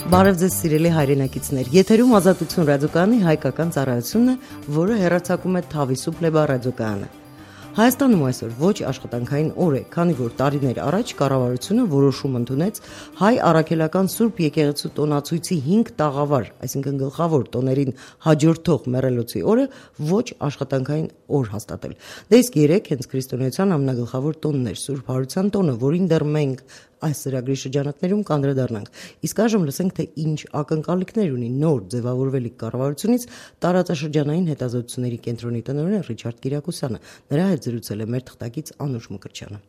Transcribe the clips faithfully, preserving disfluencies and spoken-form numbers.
Բարև ձեզ սիրելի հայրենակիցներ, եթերում Ազատություն ռադիոկայանի հայկական ծառայությունն է, որը հեռարձակում է Թավիսու Պլեբա ռադիոկայանը։ Հայաստանում այսօր ոչ աշխատանքային օր է, քանի որ տարիներ առաջ կառավարությունը որոշում ընդունեց հայ առաքելական Սուրբ եկեղեցու տոնացույցի հինգ տաղավար, այսինքն գլխավոր տոներին հաջորդող մեռելոցի օրը ոչ աշխատանքային օր հաստատել։ Դե իսկ երեք հենց քրիստոնեության ամենագլխավոր տոնն էր Սուրբ Հարության տոնը, որին դեռ մենք այս ծրագրի շրջանակներում կանդրադառնանք։ Իսկ այժմ լսենք, թե ինչ ակնկալիքներ ունի նոր ձևավորվելիք կառավարությունից տարածաշրջանային հետազոտությունների կենտրոնի տնօրեն Ռիչարդ Կիրակոսյանը։ Նրա հետ զրուցել է մեր թղթակից Անուշ Մկրտչյանը։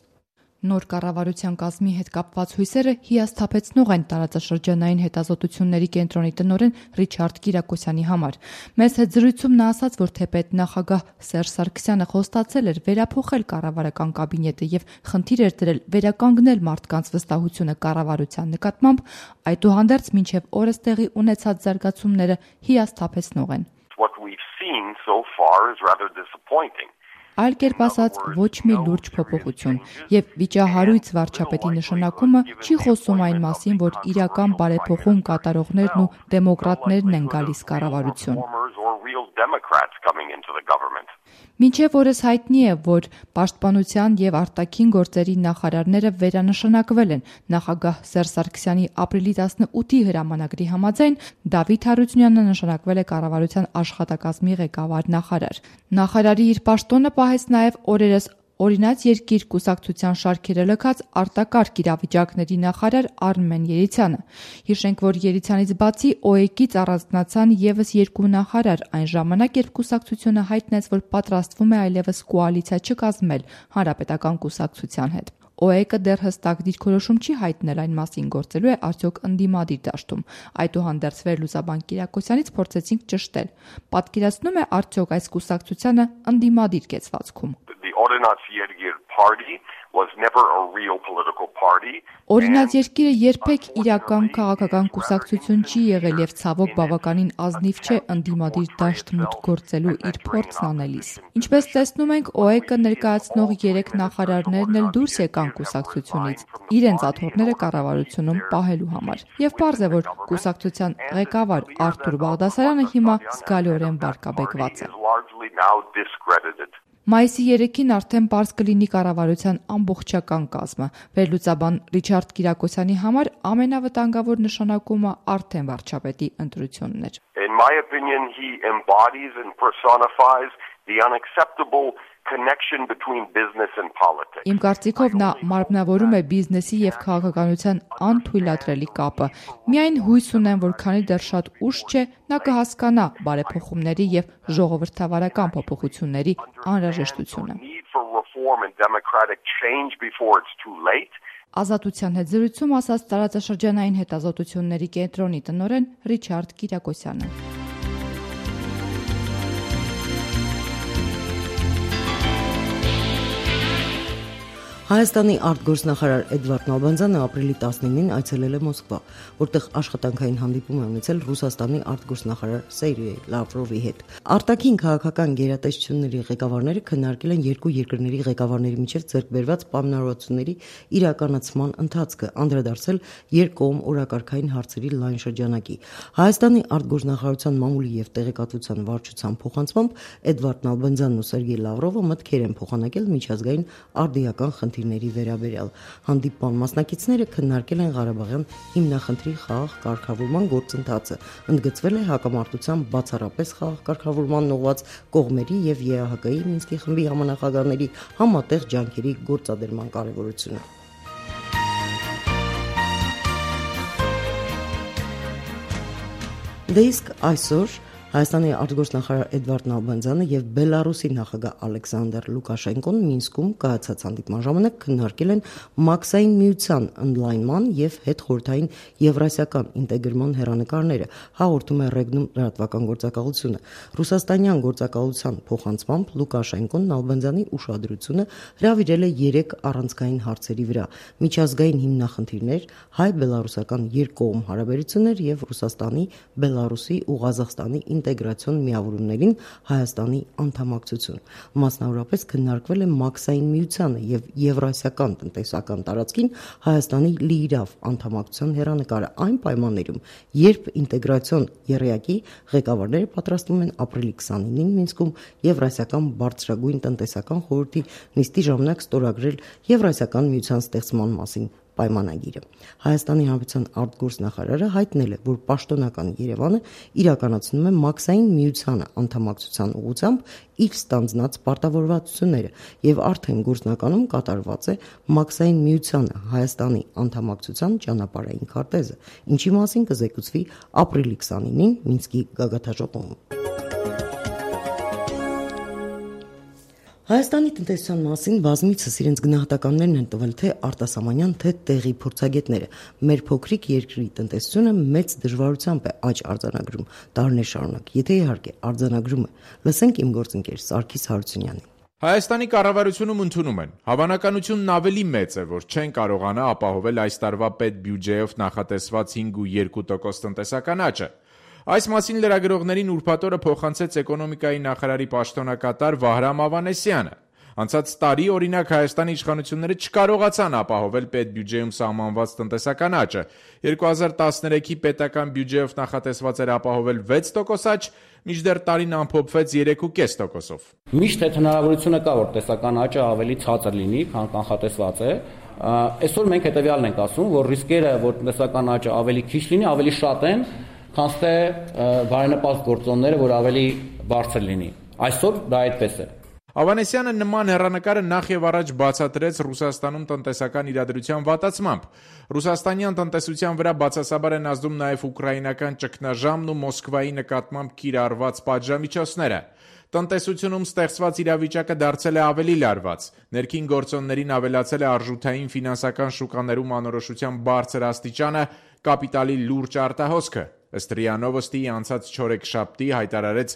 Նոր կառավարության կազմի հետ կապված հույսերը հիասթափեցնող են տարածաշրջանային հետազոտությունների կենտրոնի տնօրեն Ռիչարդ Կիրակոսյանի համար։ Մեզ հետ զրույցում նա ասաց, որ թեպետ նախագահ Սերժ Սարգսյանը խոստացել էր վերափոխել կառավարական կաբինետը եւ խնդիր էր դրել վերականգնել մարդկանց վստահությունը կառավարության նկատմամբ, այդուհանդերձ մինչեւ օրս տեղի ունեցած զարգացումները հիասթափեցնող են։ What we've seen so far is rather disappointing. Այլ կերպ ասած, ոչ մի լուրջ փոփոխություն, եւ վիճահարույց վարչապետի նշանակումը չի խոսում այն մասին, որ իրական բարեփոխում կատարողներն ու դեմոկրատներն են գալիս կառավարություն։ Մինչև օրս հայտնի է, որ պաշտպանության եւ արտաքին գործերի նախարարները վերանշանակվել են։ Նախագահ Սերժ Սարգսյանի ապրիլի տասնութի հրամանագրի համաձայն Դավիթ Հարությունյանը նշանակվել է կառավարության աշխատակազմի ղեկավար նախարար։ Նախարարի իր պաշտոնը պահեց նաեւ օրերս Օրինաց երկիր կուսակցության շարքերը լքած արտակարգ իրավիճակների նախարար Արմեն Երիցյանը։ Հիշենք, որ Երիցյանից բացի ՕԵԿ-ից առանձնացան եւս երկու նախարար, այն ժամանակ, երբ կուսակցությունը հայտնեց, որ պատրաստվում է այլևս կոալիցիա չկազմել հանրապետական կուսակցության հետ։ ՕԵԿ-ը դեռ հստակ դիրքորոշում չի հայտնել այն մասին, գործելու է արդյոք ընդդիմադիր դաշտում։ Այդուհանդերձ վերլուծաբան Կիրակոսյանից փորձեցինք ճշտել։ Պատկերացնում է արդյոք այս կուսակցությանը ընդդիմադիր կեցվածքում։ Օրինաց երկիր party was never a real political party. Օրինաց երկիրը երբեք իրական քաղաքական կուսակցություն չի եղել եւ ցավոք բավականին ազնիվ չէ ընդդիմադիր դաշտ մուտք գործելու իր փորձն անելիս։ Ինչպես տեսնում ենք, ՕԵԿ-ը ներկայացնող երեք նախարարներն էլ դուրս եկան կուսակցությունից իրենց աթոռները կառավարությունում պահելու համար։ Եվ պարզ է, որ կուսակցության ղեկավար Արթուր Բաղդասարյանը հիմա զգալիորեն վարկաբեկված է։ Մայիսի երեքին արդեն պարզ կլինի կառավարության ամբողջական կազմը։ Վերլուծաբան Ռիչարդ Կիրակոսյանի համար ամենավտանգավոր նշանակումը արդեն վարչապետի ընտրությունն էր։ In my opinion, he embodies and personifies the unacceptable connection between business and politics. Իմ կարծիքով նա մարմնավորում է բիզնեսի եւ քաղաքականության անթույլատրելի կապը։ Միայն հույս ունեմ, որ քանի դեռ շատ ուշ չէ, նա կհասկանա բարեփոխումների եւ ժողովրդավարական փոփոխությունների անհրաժեշտությունը։ Ազատության հետ զրույցում ասաց տարածաշրջանային հետազոտությունների կենտրոնի տնօրեն Ռիչարդ Կիրակոսյանը։ Հայաստանի արտգործնախարար Էդվարդ Նալբանդյանը ապրիլի տասնինին այցելել է Մոսկվա, որտեղ աշխատանքային հանդիպում է ունեցել Ռուսաստանի արտգործնախարար Սերգեյ Լավրովի հետ։ Արտաքին քաղաքական գերատեսչությունների ղեկավարները քննարկել են երկու երկրների ղեկավարների միջև ձեռք բերված պայմանավորվածությունների իրականացման ընթացքը, անդրադարձել երկկողմ օրակարգային հարցերի լայն շրջանակի։ Հայաստանի արտգործնախարարության մամուլի եւ տեղեկատվության վարչության փոխանցմամբ Էդվարդ Նալբանդյանն ու Սերգեյ Լավրովը մտքեր են փոխանակել միջազգային արդիական խնդիրների վերաբերյալ։ Հանդիպման մասնակիցները քննարկել են Ղարաբաղյան հիմնախնդրի խաղաղ կարգավորման գործընթացը, ընդգծվել է հակամարտության բացառապես խաղաղ կարգավորման ուղղված կողմերի եւ ԵԱՀԿ-ի Մինսկի խմբի համանախագահների համատեղ ջանքերի գործադրման կարեւորությունը։ Դե իսկ այսօր Հայաստանի արտգործնախարար Էդվարդ Նալբանդյանը եւ Բելարուսի նախագահ Ալեքսանդր Լուկաշենկոն Մինսկում կայացած հանդիպման ժամանակ քննարկել են Մաքսային միության ընդլայնման եւ հետխորհրդային եվրասիական ինտեգրման հերանեկարները, հաղորդում է Ռեգնում լրատվական գործակալությունը։ Ռուսաստանյան գործակալության փոխանցմամբ Լուկաշենկոն Նալբանդյանի ուշադրությունը հրավիրել է երեք առանցքային հարցերի վրա՝ միջազգային հիմնախնդիրներ, հայ-բելարուսական երկկողմ հարաբերություններ եւ Ռուսաստանի, Բելարուսի ու Ղազախստանի ինտեգրացիոն միավորումներին Հայաստանի անդամակցություն։ Մասնավորապես քննարկվել է Մաքսային միությանը եւ Եվրասիական տնտեսական տարածքին Հայաստանի լիիրավ անդամակցության հեռանկարը այն պայմաններում, երբ ինտեգրացիոն եռյակի ղեկավարները պատրաստվում են ապրիլի քսանինին Մինսկում Եվրասիական բարձրագույն տնտեսական խորհրդի նիստի ժամանակ ստորագրել Եվրասիական միության ստեղծման մասին պայմանագիրը։ Հայաստանի Հանրապետության արտգործնախարարը հայտնել է, որ պաշտոնական Երևանը իրականացնում է Մաքսային միությանը անդամակցության ուղղությամբ իր ստանձնած պարտավորվածությունները եւ արդեն գործնականում կատարված է Մաքսային միությանը Հայաստանի անդամակցության ճանապարհային քարտեզը, ինչի մասին կզեկուցվի ապրիլի քսանինին Մինսկի գագաթնաժողովում։ Հայաստանի տնտեսության մասին բազմիցս իրենց գնահատականներն են տվել թե արտասահմանյան, թե տեղի փորձագետները։ Մեր փոքրիկ երկրի տնտեսությունը մեծ դժվարությամբ է աճ արձանագրում տարիներ շարունակ, եթե իհարկե արձանագրում է։ Լսենք իմ գործընկեր Սարգիս Հարությունյանին։ Հայաստանի կառավարությունում ընդունում են, հավանականությունն ավելի մեծ է, որ չեն կարողանա ապահովել այս տարվա պետբյուջեով նախատեսված հինգ կόμμα երկու տոկոս տնտեսական աճը։ Այս մասին լրագրողներին ուրբաթ օրը փոխանցեց էկոնոմիկայի նախարարի պաշտոնակատար Վահրամ Ավանեսյանը։ Անցած տարի օրինակ Հայաստանի իշխանությունները չկարողացան ապահովել պետբյուջեում սահմանված տնտեսական աճը։ երկու հազար տասներեքի պետական բյուջեով նախատեսված էր ապահովել վեց տոկոս աճ, մինչդեռ տարին ամփոփվեց երեք կόμμα պենս տոկոսով։ Միշտ այդ հնարավորությունը կա, որ տեսական աճը ավելի ցածր լինի, քան կանխատեսված է։ Այսօր մենք հետեւյալն ենք ասում, որ ռիսկերը, որ տնտեսական աճը ավելի քիչ լինի, ավելի շատ են, քան թե բարենպաստ գործոնները, որ ավելի բարձր լինի։ Այսօր դա այդպես է։ Ավանեսյանը նման հեռանկարը նախ եւ առաջ բացատրեց Ռուսաստանում տնտեսական իրադրության վատացմամբ։ Ռուսաստանյան տնտեսության վրա բացասաբար են ազդում նաեւ ուկրաինական ճգնաժամն ու Մոսկվայի նկատմամբ կիրառված պատժամիջոցները։ Տնտեսությունում ստեղծված իրավիճակը դարձել է ավելի լարված։ Ներքին գործոններին ավելացել է արժութային ֆինանսական շուկաներում անորոշության բարձր աստիճանը, կապիտալի լուրջ արտահոսքը։ Ըստ ՌԻԱ Նովոստիի անցած չորեքշաբթի հայտարարեց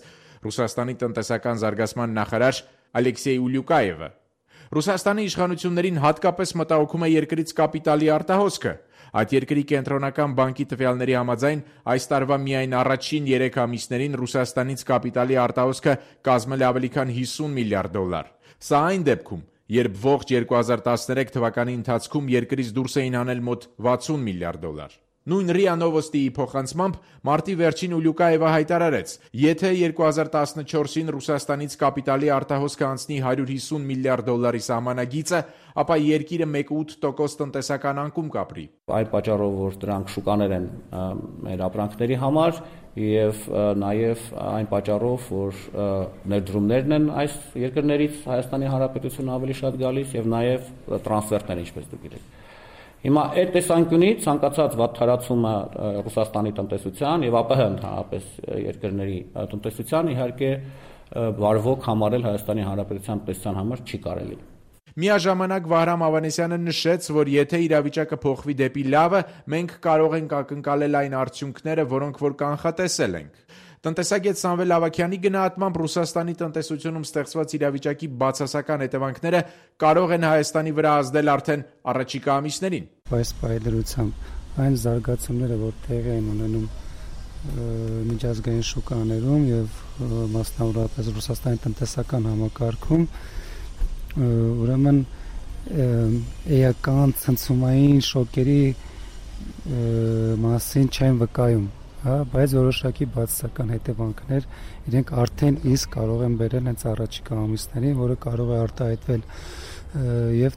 Ռուսաստանի տնտեսական զարգացման նախարար Ալեքսեյ Ուլյուկաևը։ Ռուսաստանի իշխանություններին հատկապես մտահոգում է երկրից կապիտալի արտահոսքը։ Այդ երկրի կենտրոնական բանկի տվյալների համաձայն այս տարվա միայն առաջին երեք ամիսներին Ռուսաստանից կապիտալի արտահոսքը կազմել է ավելի քան հիսուն միլիարդ դոլար։ Սա այն դեպքում, երբ ողջ երկու հազար տասներեք թվականի ընթացքում երկրից դուրս էին հանել մոտ վաթսուն միլիարդ դոլար։ Նույն ՌԻԱ Նովոստիի փոխանցմամբ մարտի վերջին Ուլյուկաևը հայտարարեց, եթե երկու հազար տասնչորսին Ռուսաստանից կապիտալի արտահոսքը անցնի հարյուր հիսուն միլիարդ դոլարի սահմանագիծը, ապա երկիրը մեկ կόμμα ութ տոկոս տնտեսական անկում կապրի։ Այդ պատճառով, որ դրանք շուկաներ են մեր ապրանքների համար եւ նաեւ այն պատճառով, որ ներդրումներն են այս երկրներից Հայաստանի Հանրապետություն ավելի շատ գալիս եւ նաեւ տրանսֆերտներ, ինչպես դուք գիտեք։ Հիմա այդ տեսանկյունից ցանկացած վատթարացումը Ռուսաստանի տնտեսության եւ ԱՊՀ ընդհանրապես երկրների տնտեսության իհարկե վարվոք համարել Հայաստանի Հանրապետության տնտեսության համար չի կարելի։ Միաժամանակ Վահրամ Ավանեսյանը նշեց, որ եթե իրավիճակը փոխվի դեպի լավը, մենք կարող ենք ակնկալել այն արդյունքները, որոնք որ կանխատեսել ենք։ Տնտեսագետ Սամվել Ավագյանի գնահատմամբ Ռուսաստանի տնտեսությունում ստեղծված իրավիճակի բացասական հետևանքները կարող են Հայաստանի վրա ազդել արդեն առաջիկա ամիսներին։ Այս պայմանությամբ այն զարգացումները, որ տեղի են ունենում միջազգային շուկաներում եւ մասնավորապես Ռուսաստանի տնտեսական համակարգում, ուրեմն էական ցնցումային շոկերի մասին չեն վկայում։ Հա, բայց որոշակի բացասական հետևանքներ իրենք արդեն իսկ կարող են բերել հենց առաջիկա ամիսներին, որը կարող է արտահայտվել եւ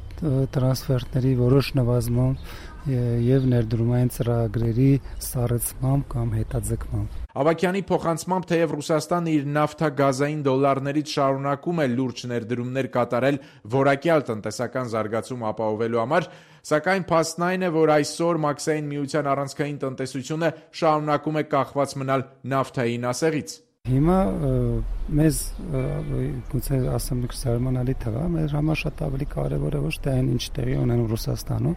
տրանսֆերտների որոշ նվազման եւ ներդրումային ծրագրերի սառեցմամբ կամ հետաձգմամբ։ Ավագյանի փոխանցմամբ թեև Ռուսաստանը իր նավթագազային դոլարներից շարունակում է լուրջ ներդրումներ կատարել որակյալ տնտեսական զարգացում ապահովելու համար, սակայն փաստն այն է, որ այսօր Մաքսային միության առանցքային տնտեսությունը շարունակում է կախված մնալ նավթային ասեղից։ Հիմա մեզ գուցե ասեմ մի զարմանալի թվա, մեր համար շատ ավելի կարևոր է ոչ թե այն ինչ տեղի ունենում Ռուսաստանում,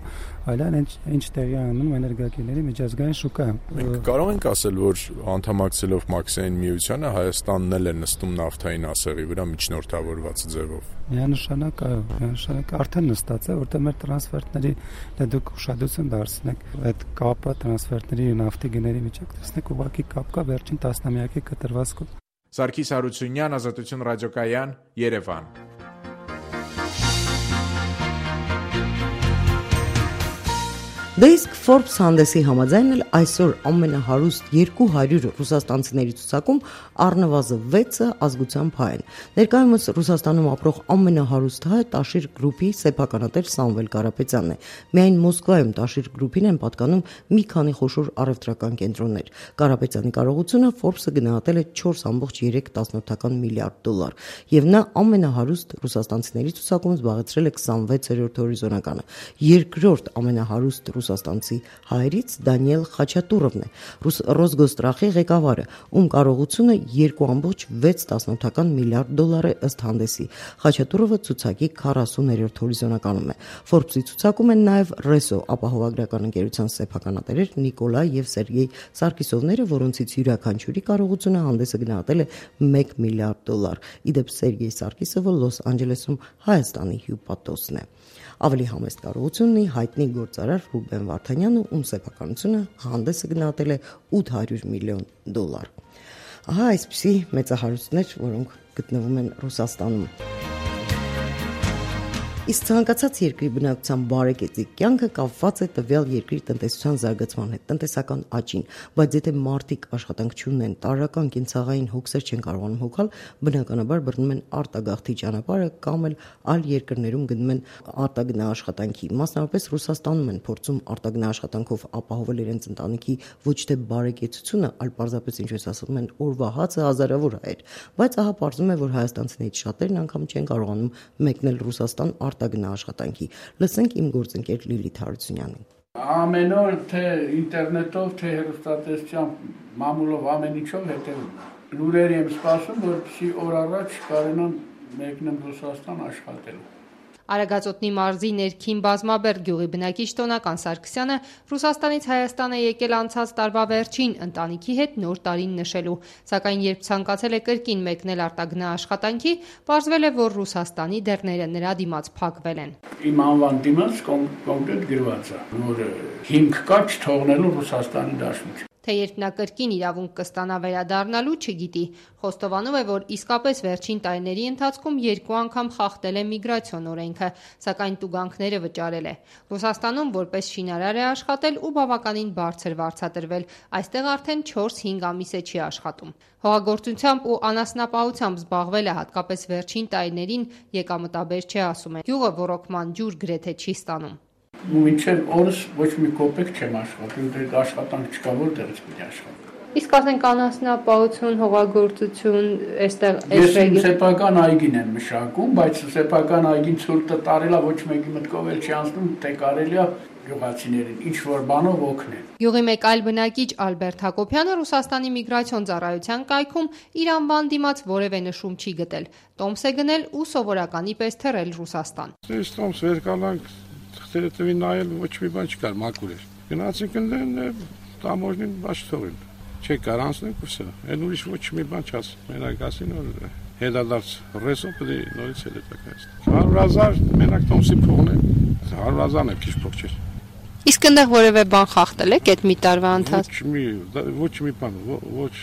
այլ այն ինչ տեղի ունենում էներգակիրների միջազգային շուկայում։ Մենք կարող ենք ասել, որ անդամակցելով Մաքսային միությանը Հայաստանն էլ է նստում նավթային ասեղի վրա միջնորդավորված ձևով։ Միանշանակ, այո, միանշանակ արդեն նստած է, որտեղ մեր տրանսֆերտների դե դուք ուշադրություն դարձնեք այդ կապը տրանսֆերտների ու նավթի գների միջև, տեսնեք ուղղակի կապ կա վերջին տասնամյակի կտրված Սարգիս Հարությունյան, Ազատություն ռադիոկայան, Երևան։ Դե իսկ Forbes հանդեսի համաձայն էլ այսօր ամենահարուստ երկու հարյուր ռուսաստանցիների ցուցակում առնվազն վեցը ազգությամբ հայ են։ Ներկայումս Ռուսաստանում ապրող ամենահարուստ հայը Տաշիր գրուպի սեփականատեր Սամվել Կարապետյանն է։ Միայն Մոսկվայում Տաշիր գրուպին են պատկանում մի քանի խոշոր առևտրական կենտրոններ։ Կարապետյանի կարողությունը Forbes-ը գնահատել է չորս կόμma երեք միլիարդ դոլար, եւ նա ամենահարուստ ռուսաստանցիների ցուցակում զբաղեցրել է քսանվեցերորդ հորիզոնականը։ Երկրորդ ամենահարուստ ռուսաստանցի հայերից Դանիել Խաչատուրովն է, Ռոսգոստրախի ղեկավարը, ում կարողությունը երկու կόμma վեց միլիարդ դոլար է ըստ հանդեսի։ Խաչատուրովը ցուցակի քառասուներորդ հորիզոնականում է։ Forbes-ի ցուցակում են նաև Reso ապահովագրական ընկերության սեփականատերեր Նիկոլայ եւ Սերգեյ Սարգիսովները, որոնցից յուրաքանչյուրի կարողությունը հանդեսը գնահատել է մեկ միլիարդ դոլար։ Իդեպ Սերգեյ Սարգիսովը Լոս Անջելեսում Հայաստանի հյուպատոսն է։ Ավելի համեստ կարողություն ունի հայտնի գործարար Ռուբեն Վարդանյանը, ում սեփականությունը հանդեսը գնահատել է ութ հարյուր միլիոն դոլար։ Ահա այսպիսի մեծահարուստներ, որոնք գտնվում են Ռուսաստանում։ Իսկ ցանկացած երկրի բնակչության բարեկեցիկ կյանքը կապված է տվյալ երկրի տնտեսության զարգացման հետ, տնտեսական աճին, բայց եթե մարդիկ աշխատանք չունեն, տարրական կենցաղային հոգսեր չեն կարողանում հոգալ, բնականաբար բռնում են արտագաղթի ճանապարհը կամ էլ այլ երկրներում գնում են արտագնաաշխատանքի։ Մասնավորապես Ռուսաստանում են փորձում արտագնաաշխատանքով ապահովել իրենց ընտանիքի ոչ թե բարեկեցությունը, այլ պարզապես ինչպես ասում են, օրվա հացը հազարավոր հայեր, բայց ահա պարզվում է, որ հայաստանցիներից շատերն անգամ չեն կարողանում մեկնել Ռուսաստան արտագնաաշխատանքի։ Լսենք իմ գործընկեր Լիլիթ Հարությունյանին։ Ամեն օր թե ինտերնետով, թե հեռուստատեսությամբ, մամուլով ամեն ինչով հետևում։ Լուրեր եմ սպասում, որպեսզի օր առաջ կարողանամ մեկնեմ Ռուսաստան աշխատելու։ Արագածոտնի մարզի ներքին Բազմաբերդ գյուղի բնակիչ Տոնական Սարգսյանը Ռուսաստանից Հայաստան է եկել անցած տարվա վերջին ընտանիքի հետ նոր տարին նշելու, սակայն երբ ցանկացել է կրկին մեկնել արտագնաաշխատանքի, պարզվել է, որ Ռուսաստանի դռները նրա դիմաց փակվել են։ Իմ անվան դիմաց կոնկրետ գրված է, որ հիմք կա չթողնելու Ռուսաստանի դաշնություն։ Թե երբ նա կրկին իրավունք կստանա վերադառնալու, չգիտի։ Խոստովանում է, որ իսկապես վերջին տարիների ընթացքում երկու անգամ խախտել է միգրացիոն օրենքը, սակայն տուգանքները վճարել է։ Ռուսաստանում որպես շինարար է աշխատել ու բավականին բարձր վարձատրվել, այստեղ արդեն չորս-հինգ ամիս է չի աշխատում։ Հողագործությամբ ու անասնապահությամբ զբաղվել է հատկապես վերջին տարիներին, եկամտաբեր չէ, ասում է։ Գյուղը ոռոգման ջուր գրեթե չի ստանում։ Մինչև օրս ոչ մի կոպեկ չեմ աշխատում, դե աշխատանք չկա, որտեղից պիտի աշխատեմ։ Իսկ ասենք անասնապահություն, հողագործություն, այստեղ Ես իմ սեփական այգին եմ մշակում, բայց սեփական այգին ցուրտը տարելա ոչ մեկի մտքով էլ չի անցնում, թե կարելի է գյուղացիներին ինչ որ բանով օգնել։ Գյուղի մեկ այլ բնակիչ Ալբերտ Հակոբյանը Ռուսաստանի միգրացիոն ծառայության կայքում իր անվան դիմաց որևէ նշում չի գտել։ Տոմս է գնել ու սովորականի պես թռել Ռուսաստան։ Ես տոմս վերկանանք թղթերը նայել ոչ մի բան չկար, մաքուր էր։ Գնացինք ընդեն տամոժնին բաց թողին։ Չէ կար անցնենք ու սա։ Այն ուրիշ ոչ մի բան չաս։ Մենակ ասին որ հետադարձ ռեսո պետք է նորից հետակայես։ հարյուր հազար մենակ տոմսի փողն է։ հարյուր հազարն է քիչ փող չէ։ Իսկ այնտեղ որևէ բան խախտել եք այդ մի տարվա ընթացքում։ Ոչ մի ոչ մի բան, ոչ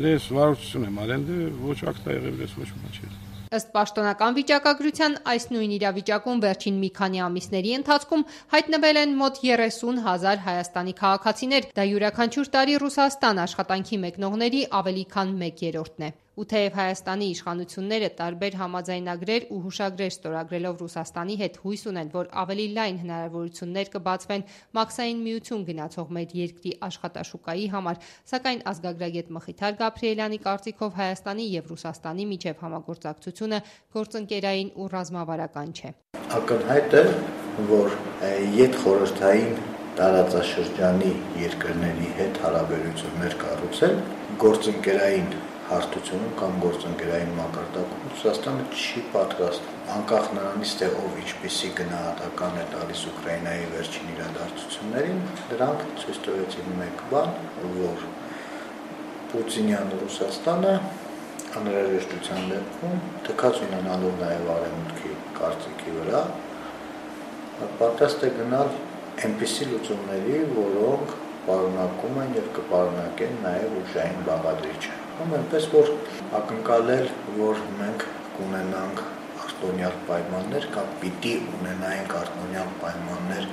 լես վարություն եմ արել, ոչ ակտա եղել, ոչ մի բան չէ։ Ըստ պաշտոնական վիճակագրության, այս նույն իրավիճակում վերջին մի քանի ամիսների ընթացքում հայտնվել են մոտ երեսուն հազար Հայաստանի քաղաքացիներ, դա յուրաքանչյուր տարի Ռուսաստան աշխատանքի մեկնողների ավելի քան մեկ երրորդն է։ Ու թեև Հայաստանի իշխանությունները տարբեր համաձայնագրեր ու հուշագրեր ստորագրելով Ռուսաստանի հետ հույս ունեն, որ ավելի լայն հնարավորություններ կբացվեն մաքսային միություն գնացող մեր երկրի աշխատաշուկայի համար, սակայն ազգագրագետ Մխիթար Գաբրիելյանի կարծիքով Հայաստանի եւ Ռուսաստանի միջև համագործակցությունը գործընկերային ու ռազմավարական չէ։ Ակնհայտ է, որ յետ խորհրդային տարածաշրջանի երկրների հետ հարաբերություններ կառուցել գործընկերային հարթությունում կամ գործընկերային մակարդակում Ռուսաստանը չի պատրաստ, անկախ նրանից թե ով ինչպիսի գնահատական է տալիս Ուկրաինայի վերջին իրադարձություններին, դրանք ցույց տվեցին մեկ բան, որ Պուտինյան Ռուսաստանը անհրաժեշտության դեպքում թքած ունենալով նաև արևմուտքի կարծիքի վրա պատրաստ է գնալ այնպիսի լուծումների, որոնք պարունակում են եւ կպարունակեն նաև ուժային բաղադրիչը։ Ամ այնպես որ ակնկալել, որ մենք կունենանք արտոնյալ պայմաններ կամ պիտի ունենայինք արտոնյալ պայմաններ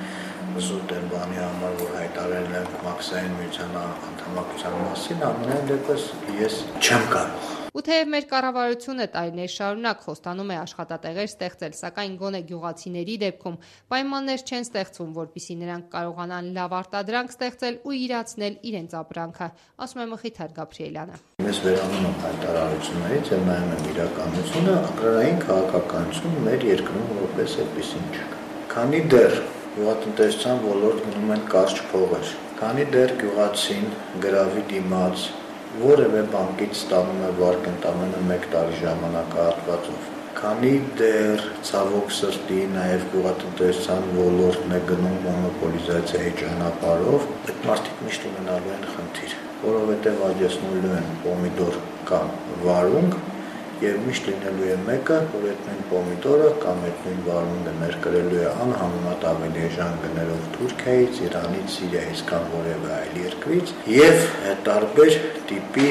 զուտ են բանի համար, որ հայտարարել են Մաքսային միության անդամակցության մասին, ամենայն դեպս ես չեմ կարող։ Ու թեև մեր կառավարությունը տարիներ շարունակ խոստանում է աշխատատեղեր ստեղծել, սակայն գոնե գյուղացիների դեպքում պայմաններ չեն ստեղծվում, որպեսզի նրանք կարողանան լավ արտադրանք ստեղծել ու իրացնել իրենց ապրանքը, ասում է Մխիթար Գաբրիելյանը։ Ես վերանում եմ հայտարարություններից եւ նայում եմ իրականությունը, agrarային քաղաքականություն մեր երկրում որպես այդպեսին չկա։ Քանի դեռ գյուղատնտեսության ոլորտ գնում են կարճ փողեր, քանի դեռ գյուղացին գրավի դիմաց որևէ բանկից ստանում է վարկ ընդամենը մեկ տարի ժամանակահատվածով, քանի դեռ ցավոք սրտի նաև գյուղատնտեսության ոլորտն է գնում մոնոպոլիզացիայի ճանապարհով, այդ մարդիկ միշտ ունենալու են խնդիր, որովհետև աճեցնելու են պոմիդոր կամ վարունգ եւ միշտ լինելու է մեկը, որ այդ նույն պոմիդորը կամ այդ նույն վարունգը ներկրելու է անհամեմատ ավելի էժան գներով Թուրքիայից, Իրանից, Սիրիայից կամ որևէ այլ երկրից եւ տարբեր տիպի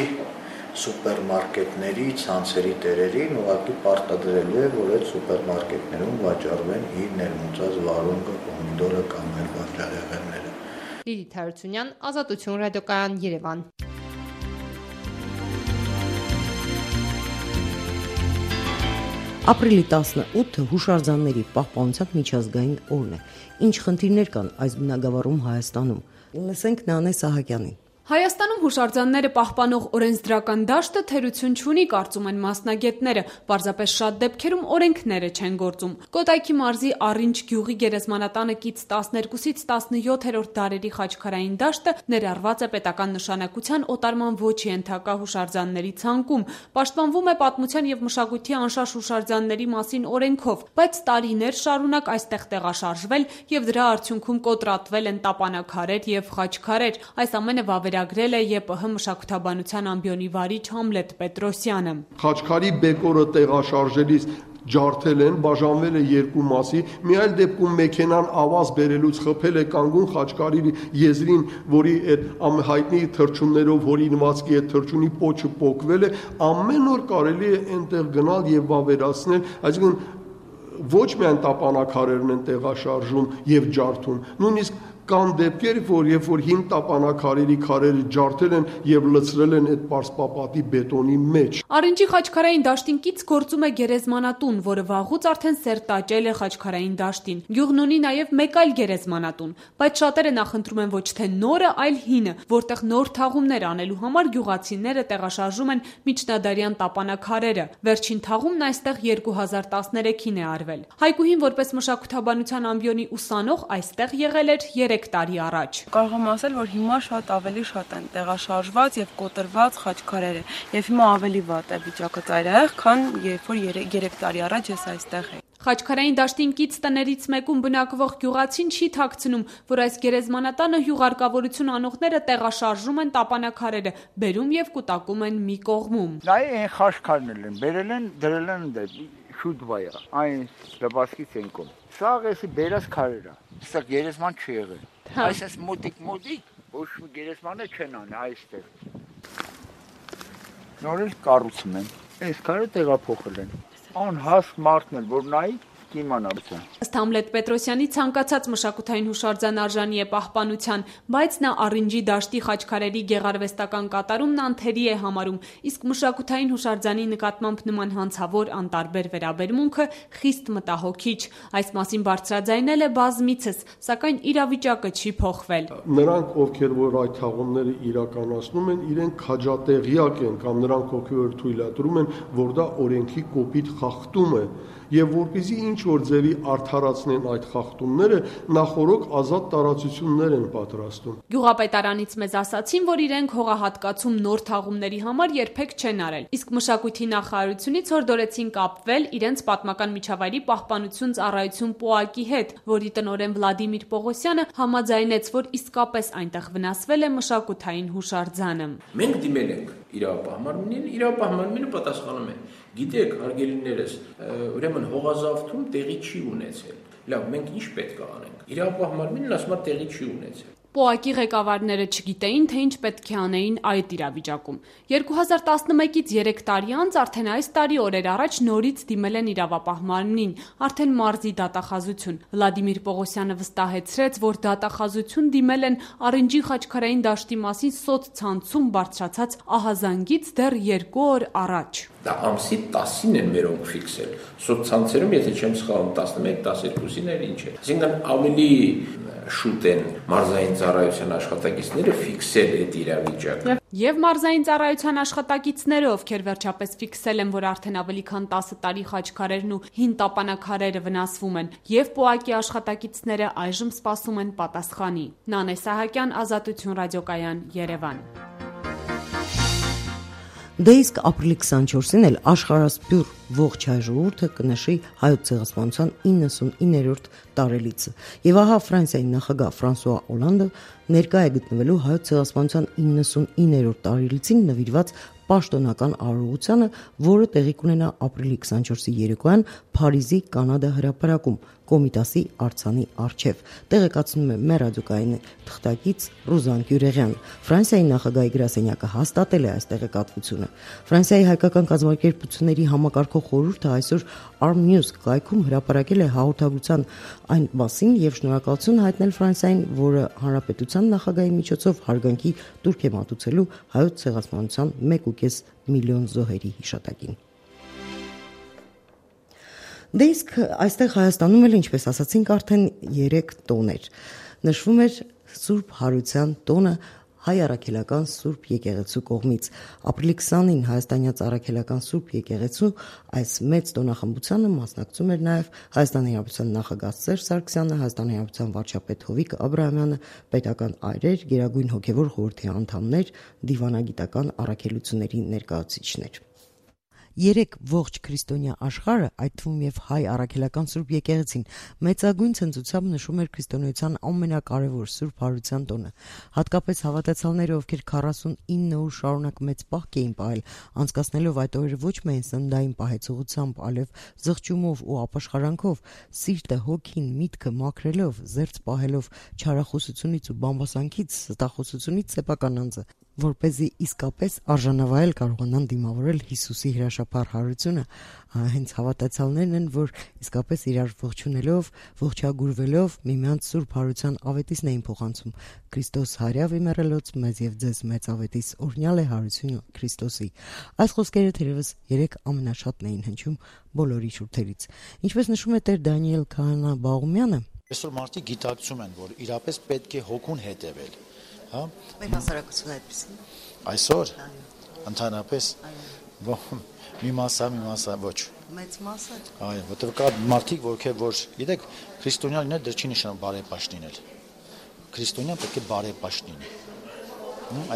սուպերմարկետների ցանցերի տերերին ուղղակի պարտադրելու է, որ այդ սուպերմարկետներում վաճառվեն իր ներմուծած վարունգը, պոմիդորը կամ այլ վաճառեղենները։ Լիլիթ Հարությունյան, Ազատություն ռադիոկայան, Երևան։ Ապրիլի տասնութը հուշարձանների պահպանության միջազգային օրն է։ Ինչ խնդիրներ կան այս բնագավառում Հայաստանում։ Լսենք Նանե Սահակյանին։ Հայաստանում հուշարձանները պահպանող օրենսդրական դաշտը թերություն չունի, կարծում են մասնագետները, պարզապես շատ դեպքերում օրենքները չեն գործում։ Կոտայքի մարզի Առինջ գյուղի գերեզմանատանը կից տասներկուսից տասնյոթերորդ դարերի խաչքարային դաշտը ներառված է պետական նշանակության օտարման ոչ ենթակա հուշարձանների ցանկում, պաշտպանվում է պատմության եւ մշակույթի անշարժ հուշարձանների մասին օրենքով, բայց տարիներ շարունակ այստեղ տեղաշարժվել եւ դրա արդյունքում կոտրատվել են տապանաքարեր եւ խաչքարեր։ Այս ամենը վավեր գրել է ԵՊՀ մշակութաբանության ամբիոնի վարիչ Համլետ Պետրոսյանը։ Խաչքարի բեկորը տեղաշարժելիս ջարդել են, բաժանվել է երկու մասի, մի այլ դեպքում մեքենան ավազ բերելուց խփել է կանգուն խաչքարի եզրին, որի այդ ամենահայտնի թռչուններով հորինվածքի այդ թռչունի պոչը պոկվել է, ամեն օր կարելի է այնտեղ գնալ եւ վավերացնել, այսինքն ոչ միայն տապանակարերն են տեղաշարժում եւ ջարդում, նույնիսկ կան դեպքեր, որ երբ որ հին տապանակարերի քարերը ջարդել են եւ լցրել են այդ պարսպապատի բետոնի մեջ։ Առինջի խաչքարային դաշտին կից գործում է գերեզմանատուն, որը վաղուց արդեն սերտաճել է խաչքարային դաշտին։ Գյուղն ունի նաեւ մեկ այլ գերեզմանատուն, բայց շատերը նախընտրում են ոչ թե նորը, այլ հինը, որտեղ նոր թաղումներ անելու համար գյուղացիները տեղաշարժում են միջնադարյան տապանակարերը։ Վերջին թաղումն այստեղ երկու հազար տասներեքին է արվել։ Հայկուհին որպես մշակութաբանության ամբիոնի ուսանող այստեղ եղել էր երեք տարի առաջ։ Կարող եմ ասել, որ հիմա շատ ավելի շատ են տեղաշարժված եւ կոտրված խաչքարերը, եւ հիմա ավելի վատ է վիճակը ծայրահեղ, քան երբ որ երեք տարի առաջ ես այստեղ էի։ Խաչքարային դաշտին կից տներից մեկում բնակվող գյուղացին չի թաքցնում, որ այս գերեզմանատանը հյուղարկավորություն անողները տեղաշարժում են տապանակարերը, բերում եւ կուտակում են մի կողմում։ Նայ այն խաչքարներն են, բերել են, դրել են դե շուտ վայա, այն լբասկից են կոմ։ Սա էսի բերած քարերը, սա գերեզման չի եղել։ Այսպես մոտիկ մոտիկ, ոչ մի գերեզմանը չեն անի այստեղ։ Նորից կառուցում են, այս քարը տեղափոխել են։ Անհասկ մարդն էլ, որ նայի կիմանա։ Ըստ Համլետ Պետրոսյանի ցանկացած մշակութային հուշարձան արժանի է պահպանության, բայց նա Առինջի դաշտի խաչքարերի գեղարվեստական կատարումն անթերի է համարում, իսկ մշակութային հուշարձանի նկատմամբ նման հանցավոր անտարբեր վերաբերմունքը խիստ մտահոգիչ։ Այս մասին բարձրաձայնել է բազմիցս, սակայն իրավիճակը չի փոխվել։ Նրանք, ովքեր որ այդ թաղումները իրականացնում են, իրենք քաջատեղյակ են կամ նրանք ովքեր թույլատրում են, որ դա օրենքի կոպիտ խախտում է։ Եվ որպեսզի ինչ որ ձևի արդարացնեն այդ խախտումները, նախորոք ազատ տարածություններ են պատրաստում։ Գյուղապետարանից մեզ ասացին, որ իրենք հողահատկացում նոր թաղումների համար երբեք չեն արել, իսկ մշակույթի նախարարությունից հորդորեցին կապվել իրենց պատմական միջավայրի պահպանություն ծառայություն ՊՕԱԿ-ի հետ, որի տնօրեն Վլադիմիր Պողոսյանը համաձայնեց, որ իսկապես այնտեղ վնասվել է մշակութային հուշարձանը։ Մենք դիմել ենք իրավապահմանին, իրավապահմանինը պատասխանում է. Գիտեք, հարգելիներս, ուրեմն հողազավթում տեղի չի ունեցել։ Լավ, մենք ինչ պետք է անենք։ Իրավապահմանին ասում է տեղի չի ունեցել։ Պոակի ղեկավարները չգիտեին, թե ինչ պետք է անեին այդ իրավիճակում։ երկու հազար տասնմեկից երեք տարի անց արդեն այս տարի օրեր առաջ նորից դիմել են իրավապահ մարմնին, արդեն մարզի դատախազություն։ Վլադիմիր Պողոսյանը վստահեցրեց, որ դատախազություն դիմել են Արինջի խաչքարային դաշտի մասին սոցցանցում բարձրացած ահազանգից դեռ երկու օր առաջ։ Դա ամսի տասին են մերոնք ֆիքսել։ Սոցցանցերում, եթե չեմ սխալվում, տասնմեկ տասներկուսին էր ինչ է։ Այսինքն ավելի շուտ են մարզային ծառայության աշխատակիցները ֆիքսել այդ իրավիճակը։ Եվ մարզային ծառայության աշխատակիցները, ովքեր վերջապես ֆիքսել են, որ արդեն ավելի քան տասը տարի խաչքարերն ու հին տապանակարերը վնասվում են, եւ Պոակի աշխատակիցները այժմ սպասում են պատասխանի։ Նանե Սահակյան, Ազատություն ռադիոկայան, Երևան։ Դե իսկ ապրիլի քսանչորսին էլ աշխարհասփյուռ ողջ հայ ժողովուրդը կնշի հայոց ցեղասպանության իննսունիններորդ տարելիցը։ Եվ ահա Ֆրանսիայի նախագահ Ֆրանսուଆ Օլանդը ներկա է գտնվելու հայոց ցեղասպանության իննսունիններորդ տարելիցին նվիրված պաշտոնական արարողությանը, որը տեղի կունենա ապրիլի քսանչորսի երեկոյան Փարիզի Կանադա հրապարակում Կոմիտասի արձանի առջև։ Տեղեկացնում է մեր ռադիոկայանի թղթակից Ռուզան Գյուրեղյանը։ Ֆրանսիայի նախագահի գրասենյակը հաստատել է այս տեղեկատվությունը։ Ֆրանսիայի հայկական կազմակերպությունների համակարգող խորհուրդը այսօր Arm News կայքում հրապարակել է հաղորդագրության այն մասին եւ շնորհակալություն հայտնել Ֆրանսիային, որը հանրապետության նախագահի միջոցով հարգանքի տուրք է մատուցելու հայոց ցեղասպանության մեկ ու կես միլիոն զոհերի հիշատակին։ Դե իսկ այստեղ Հայաստանում էլ, ինչպես ասացինք, արդեն երեք տոներ նշվում էր Սուրբ Հարության տոնը հայ առաքելական Սուրբ եկեղեցու կողմից։ Ապրիլի քսանին հայաստանյաց առաքելական Սուրբ եկեղեցու այս մեծ տոնախմբությանը մասնակցում էր նաև Հայաստանի Հանրապետության նախագահ Սերժ Սարգսյանը, Հայաստանի Հանրապետության վարչապետ Հովիկ Աբրահամյանը, պետական այրեր, Գերագույն հոգևոր խորհրդի անդամներ, դիվանագիտական առաքելությունների ներկայացուցիչներ։ Երեք ողջ քրիստոնյա աշխարհը, այդ թվում եւ հայ առաքելական Սուրբ եկեղեցին, մեծագույն ցնծությամբ նշում էր քրիստոնեության ամենակարևոր Սուրբ Հարության տոնը։ Հատկապես հավատացյալները, ովքեր քառասունինը օր շարունակ մեծ պահք էին պահել, անցկացնելով այդ օրերը ոչ միայն սննդային պահեցողությամբ, այլև զղջումով ու ապաշխարանքով, սիրտը, հոգին, միտքը մաքրելով, զերծ պահելով չարախոսությունից ու բամբասանքից, ստախոսությունից սեփական անձը, որպեսզի իսկապես արժանավայել կարողանան դիմավորել Հիսուսի հրաշափառ հարությունը, հենց հավատացյալներն են, որ իսկապես իրար ողջունելով, ողջագուրվելով միմյանց Սուրբ Հարության ավետիսն էին փոխանցում։ Քրիստոս հարյավ իմերելոց մեզ եւ ձեզ մեծ ավետիս օրհնյալ է հարությունը Քրիստոսի։ Այս խոսքերը թերևս երեք ամենաշատն էին հնչում բոլորի շուրթերից։ Ինչպես նշում է Տեր Դանիել Քահանա Բաղումյանը, այսօր մարդիկ գիտակցում են, որ իրապես պետք է հոգուն հետևել։ Հա? Մեր հասարակությունը այդպեսին։ Այսօր ընդհանրապես մի մասը, մի մասը ոչ։ Մեծ մասը։ Այո, որտեղ կա մարդիկ, որքեր որ, գիտեք, քրիստոնյան լինել դեռ չի նշանակում բարեպաշտ լինել։ Քրիստոնյան պետք է բարեպաշտ լինի։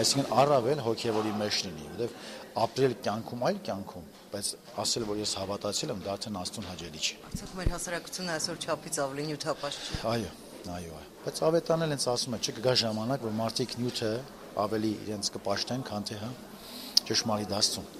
Այսինքն առավել հոգևորի մեջ լինի, որտեղ ապրել կյանքում այլ կյանքում, բայց ասել, որ ես հավատացել եմ, դա արդեն Աստծուն հաճելի չէ։ Արդյոք մեր հասարակությունը այսօր չափից ավելի նյութապաշտ չէ։ Այո, այո, այո։ Բայց ավետանել հենց ասում է, չկգա ժամանակ, որ մարդիկ նյութը ավելի իրենց կպաշտեն, քան թե հա ճշմարիտ Աստծուն։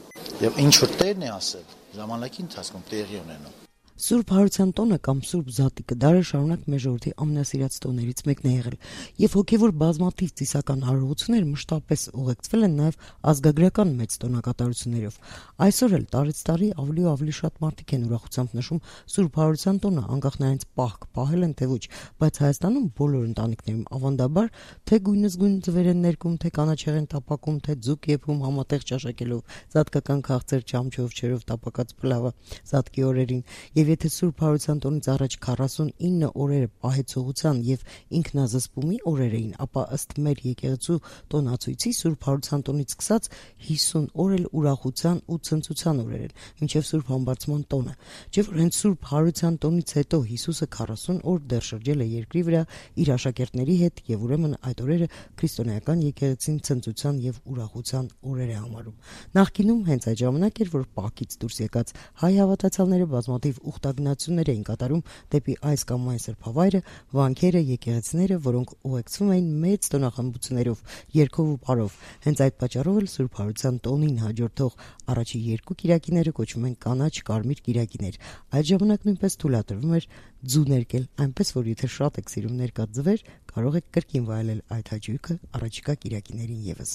Եվ ինչ որ Տերն է ասել, ժամանակի ընթացքում տեղի ունենում։ Սուրբ Հարության տոնը կամ Սուրբ Զատիկը դարեր շարունակ մեր ժողովրդի ամենասիրած տոներից մեկն է եղել, եւ հոգեվոր բազմաթիվ ծիսական հարողություններ մշտապես ուղեկցվել են նաեւ ազգագրական մեծ տոնակատարություններով։ Այսօր էլ տարեց տարի ավելի ու ավելի շատ մարդիկ են ուրախությամբ նշում Սուրբ Հարության տոնը, անկախ նրանց պահք պահել են թե ոչ, բայց Հայաստանում բոլոր ընտանիքներում ավանդաբար թե գույնզգույն ձվեր են ներկում, թե կանաչեղեն են տապակում, թե ձուկ եփում համատեղ ճաշակելով, զատկական քաղցր չամչով չերով տապակած փլավը զատկի օրերին։ Եվ եթե Սուրբ Հարության տոնից առաջ քառասունինը օրերը պահեցողության եւ ինքնազսպումի օրեր էին, ապա ըստ մեր եկեղեցու տոնացույցի Սուրբ Հարության տոնից սկսած հիսուն օր էլ ուրախության ու ցնծության օրեր են, մինչեւ Սուրբ Համբարձման տոնը։ Չէ՞ որ հենց Սուրբ Հարության տոնից հետո Հիսուսը քառասուն օր դեռ շրջել է երկրի վրա իր աշակերտների հետ եւ ուրեմն այդ օրերը քրիստոնեական եկեղեցին ցնծության եւ ուրախության օրեր է համարում։ Նախկինում հենց այդ ժամանակ էր, որ պահքից դուրս եկած հայ հավատացյալները բազմաթիվ ուխտագնացություններ էին կատարում դեպի այս կամ այն սրբավայրը, վանքերը, եկեղեցիները, որոնք ուղեկցվում էին մեծ տոնախմբություններով, երգով ու պարով։ Հենց այդ պատճառով էլ Սուրբ Հարության տոնին հաջորդող առաջի երկու կիրակիները կոչվում են կանաչ կարմիր կիրակիներ։ Այդ ժամանակ նույնպես թույլատրվում էր ձու ներկել, այնպես որ եթե շատ եք սիրում ներկա ձվեր, կարող եք կրկին վայելել այդ հաճույքը առաջիկա կիրակիներին եւս։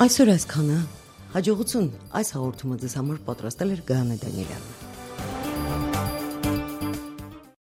Այսօր այսքանը։ Հաջողություն այս հաղորդումը ձեզ համար պատրաստել էր Գայանե Դանիելյանը։